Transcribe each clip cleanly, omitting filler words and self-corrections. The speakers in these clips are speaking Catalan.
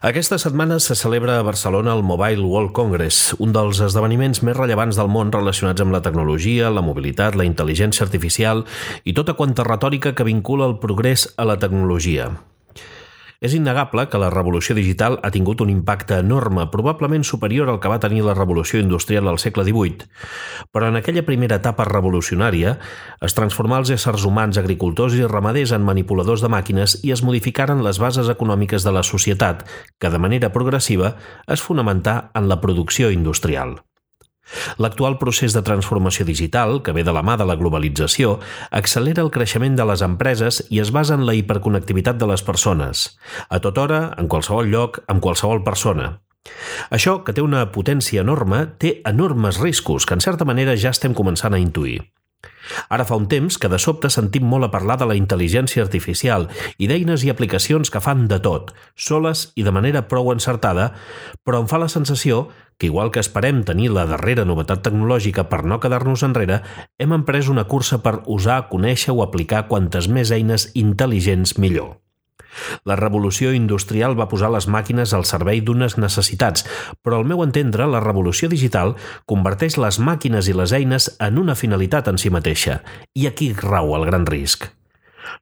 Aquesta setmana se celebra a Barcelona el Mobile World Congress, un dels esdeveniments més rellevants del món relacionats amb la tecnologia, la mobilitat, la intel·ligència artificial i tota quanta retòrica que vincula el progrés a la tecnologia. És innegable que la revolució digital ha tingut un impacte enorme, probablement superior al que va tenir la revolució industrial al segle XVIII, però en aquella primera etapa revolucionària es transformà els éssers humans, agricultors i ramaders en manipuladors de màquines i es modificaren les bases econòmiques de la societat, que de manera progressiva es fonamentà en la producció industrial. L'actual procés de transformació digital, que ve de la mà de la globalització, accelera el creixement de les empreses i es basa en la hiperconnectivitat de les persones, a tota hora, en qualsevol lloc, amb qualsevol persona. Això, que té una potència enorme, té enormes riscos que en certa manera ja estem començant a intuir. Ara fa un temps que de sobte sentim molt a parlar de la intel·ligència artificial i d'eines i aplicacions que fan de tot, soles i de manera prou encertada, però em fa la sensació que, igual que esperem tenir la darrera novetat tecnològica per no quedar-nos enrere, hem emprès una cursa per usar, conèixer o aplicar quantes més eines intel·ligents millor. La revolució industrial va posar les màquines al servei d'unes necessitats, però al meu entendre la revolució digital converteix les màquines i les eines en una finalitat en si mateixa, i aquí rau el gran risc.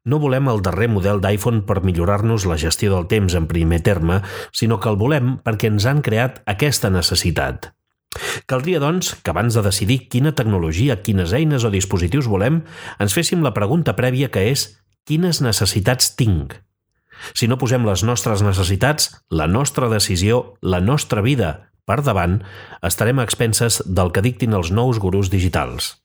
No volem el darrer model d'iPhone per millorar-nos la gestió del temps en primer terme, sinó que el volem perquè ens han creat aquesta necessitat. Caldria, doncs, que abans de decidir quina tecnologia, quines eines o dispositius volem, ens féssim la pregunta prèvia que és «Quines necessitats tinc?». Si no posem les nostres necessitats, la nostra decisió, la nostra vida per davant, estarem a expenses del que dictin els nous gurus digitals.